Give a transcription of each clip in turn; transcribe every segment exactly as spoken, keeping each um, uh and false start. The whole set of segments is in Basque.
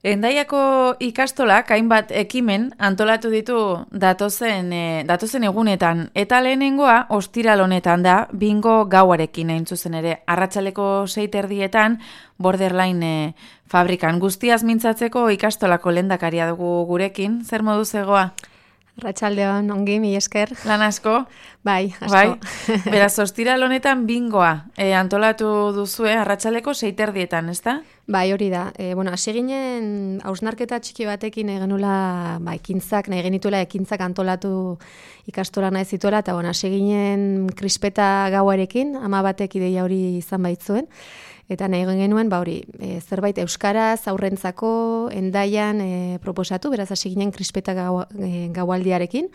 Hendaiako ikastolak hainbat ekimen antolatu ditu datozen, e, datozen egunetan, eta lehenengoa ostiral honetan da bingo gauarekin hain zuzen ere. Arratsaleko sei terdietan Borderline e, fabrikan. Guztiaz mintzatzeko ikastolako lehendakaria dugu gurekin. Zer modu zegoa? Arratsaldeon, ongi, mi esker. Lan asko? Bai, asko. Bai. Beraz, ostiral honetan bingoa e, antolatu duzue arratsaleko sei terdietan, ezta? Bai, hori da. E, bueno, hasi ginen hausnarketa txiki batekin egenula, ba, ekintzak, nahi genituela ekintzak antolatu ikastola nahi zituela, eta bueno, hasi ginen krispeta gauarekin, ama batek ideia hori izan baitzuen. Eta nahi genuen, ba hori, e, zerbait euskaraz, aurrentzako, Hendaian e, proposatu, beraz hasi ginen krispeta gau, e, gaualdiarekin,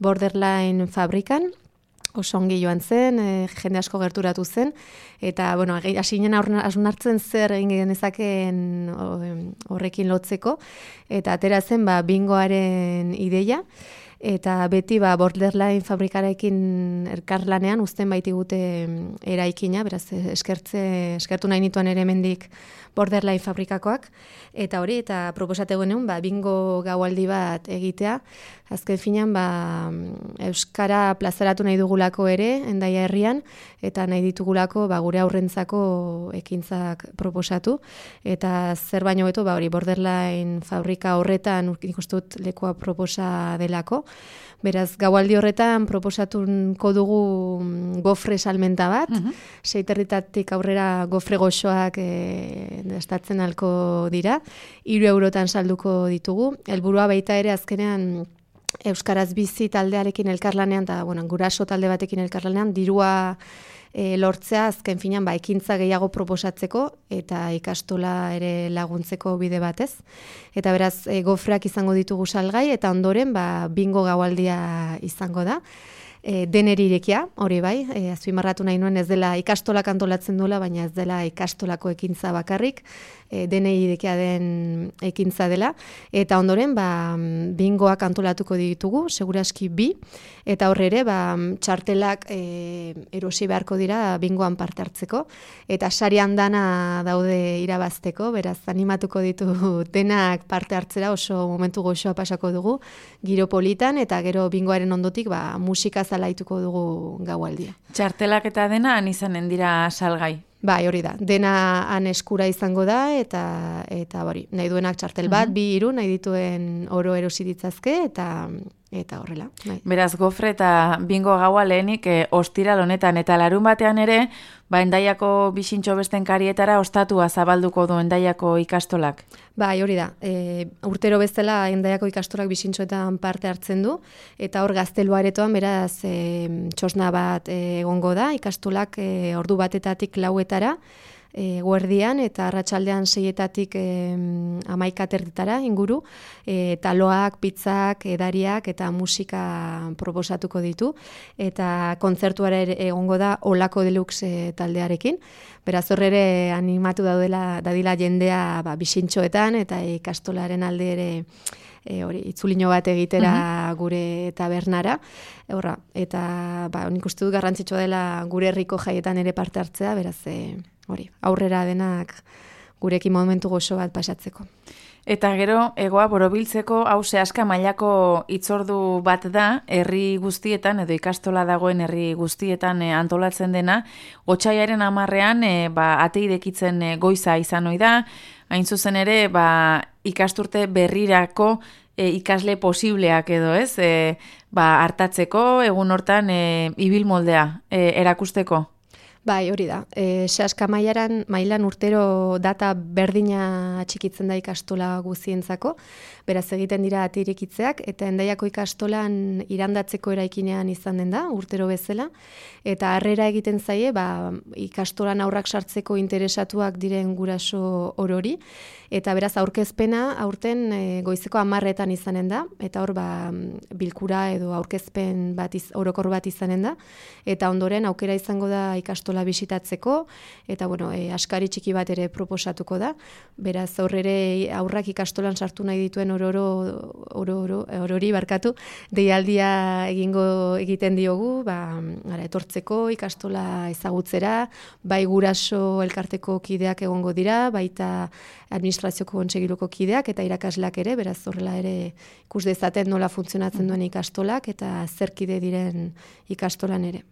Borderline fabrikan, oso ongi joan zen, e, jende asko gerturatu zen, eta bueno, hasi ginen hausnartzen zer egin genezakeen horrekin lotzeko, eta atera zen ba, bingoaren ideia, eta beti ba, Borderline fabrikarekin elkarlanean uzten baitigute eraikina, beraz eskertze, eskertu nahi nituen ere hemendik Borderline fabrikakoak, eta hori, eta proposate genuen ba, bingo gaualdi bat egitea, azken finean ba, euskara plazaratu nahi dugulako ere, Hendaia herrian, eta nahi ditugulako ba, gure aurrentzako ekintzak proposatu, eta zer baino beto ba, hori Borderline fabrika horretan nik uste dut lekua proposa delako. Beraz, gaualdi horretan proposatuko dugu gofre salmenta bat, uh-huh. Seiterritatik aurrera gofre goxoak e, dastatzen halko dira, hiru eurotan salduko ditugu. Helburua baita ere azkenean Euskaraz bizi taldearekin elkarlanean, eta bueno, guraso talde batekin elkarlanean, dirua e, lortzea azken finean ba, ekintza gehiago proposatzeko eta ikastola ere laguntzeko bide batez. Eta beraz, e, gofreak izango ditugu salgai, eta ondoren ba, bingo gaualdia izango da. E, deneri irekia, hori bai, e, azpimarratu nahi nuen ez dela ikastolak antolatzen duela, baina ez dela ikastolako ekintza bakarrik, e, deneri irekia den ekintza dela, eta ondoren ba, bingoak antolatuko ditugu, seguraski bi, eta horre ere ba, txartelak e, erosi beharko dira bingoan parte hartzeko, eta sarian dana daude irabazteko, beraz animatuko ditu denak parte hartzera, oso momentu goxoa pasako dugu, giro politan, eta gero bingoaren ondotik ba, musika zalaituko dugu gaualdia. Txartelak eta dena han izanen dira salgai. Bai, hori da. Dena han eskura izango da, eta eta hori, nahi duenak txartel bat, uh-huh. bi hiru nahi dituen oro erosi ditzazke, eta eta horrela. Bai. Beraz, gofre eta bingo gaua lehenik e, ostiral honetan, eta larun batean ere, ba, Hendaiako bixintxo besten karietara ostatua zabalduko du Hendaiako ikastolak. Bai, hori da. E, urtero bezala Hendaiako ikastolak bixintxoetan parte hartzen du, eta hor gaztelua aretoan, beraz, e, txosna bat e, egongo da, ikastolak e, ordu batetatik lauetara, E, guerdian eta arratsaldean seietatik e, amaika terditara inguru, e, taloak, pizzak, edariak eta musika proposatuko ditu, eta kontzertuara egongo da Olako Deluxe e, taldearekin, beraz horre ere animatu daudela dadila jendea ba, bixintxoetan eta ikastolaren alde ere E, hori, itzulino bat egitera uh-huh. gure tabernara, horra, eta ba, nik uste dut garrantzitsua dela gure herriko jaietan ere parte hartzea, beraz, e, hori, aurrera denak gurekin momentu goxo bat pasatzeko. Eta gero, egoa borobiltzeko hau zehaska mailako itzordu bat da, herri guztietan, edo ikastola dagoen herri guztietan e, antolatzen dena, otsaiaren hamarrean e, ba, ateidekitzen e, goiza izan ohi da, hain zuzen ere, ba, ikasturte berrirako e, ikasle posibleak edo ez, e, ba, hartatzeko, egun hortan e, ibil moldea e, erakusteko. Bai, hori da. E, Sehaska mailan, mailan urtero data berdina txikitzen da ikastola guzientzako, beraz egiten dira atirekitzeak, eta Hendaiako ikastolan irandatzeko eraikinean izan den da, urtero bezala, eta harrera egiten zaie, ba, ikastolan aurrak sartzeko interesatuak diren guraso orori, eta beraz aurkezpena aurten e, goizeko hamarretan izanen da, eta hor ba, bilkura edo aurkezpen bat iz, orokor bat izanen da, eta ondoren aukera izango da ikastola ikastola bisitatzeko, eta bueno, e, askari txiki bat ere proposatuko da. Beraz, aurrere aurrak ikastolan sartu nahi dituen ororo, ororo, orori barkatu, deialdia egingo egiten diogu, ba, ara, etortzeko ikastola ezagutzera, bai guraso elkarteko kideak egongo dira, baita administrazioko kontsegiluko kideak eta irakasleak ere, beraz horrela ere ikus dezaten nola funtzionatzen duen ikastolak eta zer kide diren ikastolan ere.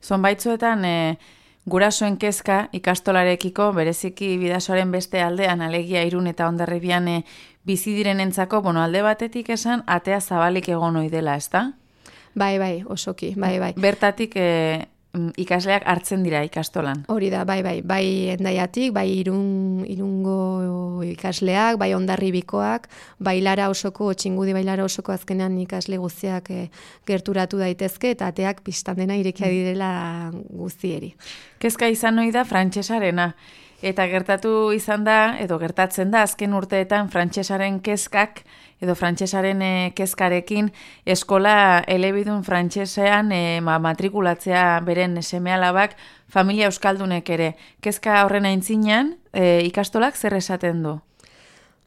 Zonbaitzuetan e, gurasoen kezka ikastolarekiko bereziki Bidasoaren beste aldean, alegia Irun eta Hondarribian e, bizi direnentzako, bueno, alde batetik esan atea zabalik egon ohi dela, ezta? Bai, bai, osoki, bai, bai. Bertatik e, ikasleak hartzen dira ikastolan. Hori da, bai, bai, bai Hendaiatik, bai Irun, Irungo ikasleak, bai Hondarribikoak, bai Lara osoko, Txingudi bai Lara osoko azkenean ikasle guztiak e, gerturatu daitezke, eta ateak pistan dena irekia direla guztieri. Kezka izan ohi da frantsesarena, eta gertatu izan da, edo gertatzen da, azken urteetan frantsesaren kezkak, edo frantsesaren e, kezkarekin eskola elebidun frantsesean e, ma, matrikulatzea beren seme-alabak familia euskaldunek ere. Kezka horren aintzinean, e, ikastolak zer esaten du?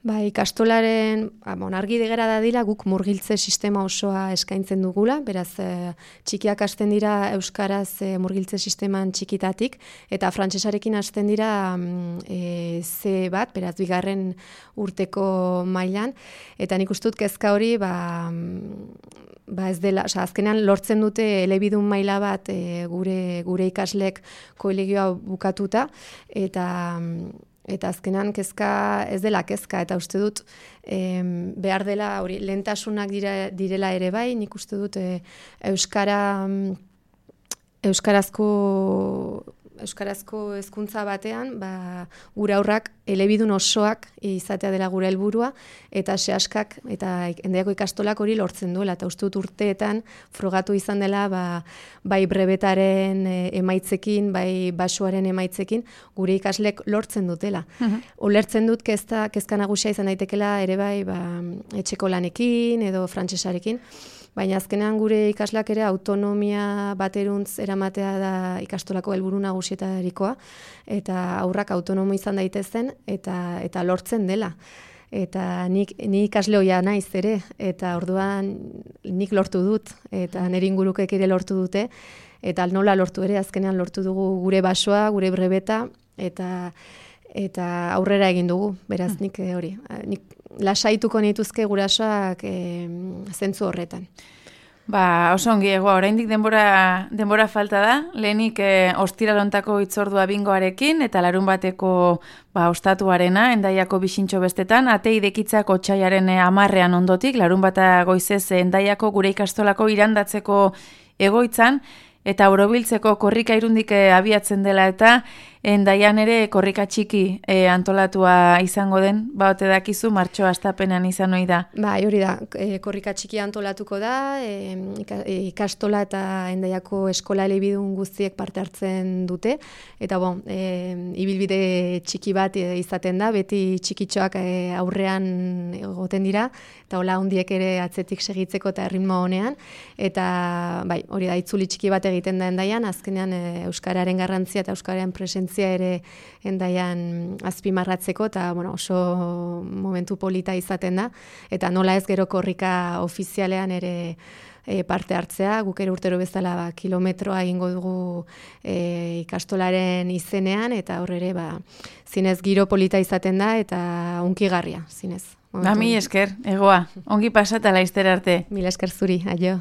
Ba, ikastolaren, bon, argi degera da dira, guk murgiltze sistema osoa eskaintzen dugula, beraz, e, txikiak hasten dira euskaraz e, murgiltze sisteman txikitatik, eta frantsesarekin hasten dira e, ze bat, beraz, bigarren urteko mailan, eta nik ustut kezka hori, ba, ba ez dela, oza, azkenean lortzen dute elebidun maila bat e, gure, gure ikaslek kolegioa bukatuta, eta Eta azkenan kezka ez dela kezka, eta uste dut em, behar dela hori lehentasunak dira, direla ere bai, nik uste dut e, euskara euskarazko euskarazko hezkuntza batean, ba, gure aurrak elebidun osoak izatea dela gure helburua, eta sehaskak eta Hendaiako ikastolak hori lortzen duela, eta uste dut urteetan frogatu izan dela ba, bai brebetaren emaitzekin, bai basoaren emaitzekin, gure ikaslek lortzen dutela. Uh-huh. Ulertzen dut kezka, kezka nagusia izan daitekela ere bai ba, etxeko lanekin edo frantsesarekin, baina azkenean gure ikasleak ere autonomia bateruntz eramatea da ikastolako helburu nagusietarikoa, eta aurrak autonomo izan daitezen eta eta lortzen dela. Eta nik, ni ikasle hoia naiz ere, eta orduan nik lortu dut, eta nire ingurukek ere lortu dute, eta nola lortu ere, azkenean lortu dugu gure basoa, gure brebeta, eta eta aurrera egin dugu, beraz nik hori, nik lasaituko nituzke gurasoak e, zentzu horretan. Ba, oso ongi egoa, oraindik denbora, denbora falta da, lehenik e, ostiralontako hitzordua bingoarekin, eta larun bateko ba, ostatuarena, Hendaiako bisintxo bestetan, ate idekitzak otsaiaren amarrean ondotik, larun bata goizez Hendaiako gure ikastolako irandatzeko egoitzan, eta Borobiltzeko korrika Irundik abiatzen dela eta Hendaian ere korrika txiki e, antolatua izango den, ba ote dakizu martxoa hastapenean izan ohi da. Bai, hori da, e, korrika txiki antolatuko da, e, ikastola eta Hendaiako eskola elebidun guztiek parte hartzen dute, eta bon, e, ibilbide txiki bat izaten da, beti txikitxoak e, aurrean egoten dira, eta hola hundiek ere atzetik segitzeko eta ritmo honean, eta bai, hori da, itzuli txiki bat egiten da Hendaian, azkenean e, euskararen garrantzia eta euskararen presentzia ere Hendaian azpimarratzeko, eta bueno, oso momentu polita izaten da, eta nola ez gero korrika ofizialean ere e, parte hartzea, guk ere urtero bezala ba, kilometroa egingo dugu e, ikastolaren izenean, eta horre ere ba, zinez giro polita izaten da, eta unkigarria, zinez. Ba, mi esker, egoa, ongi pasata laizter arte. Mila esker zuri, aio.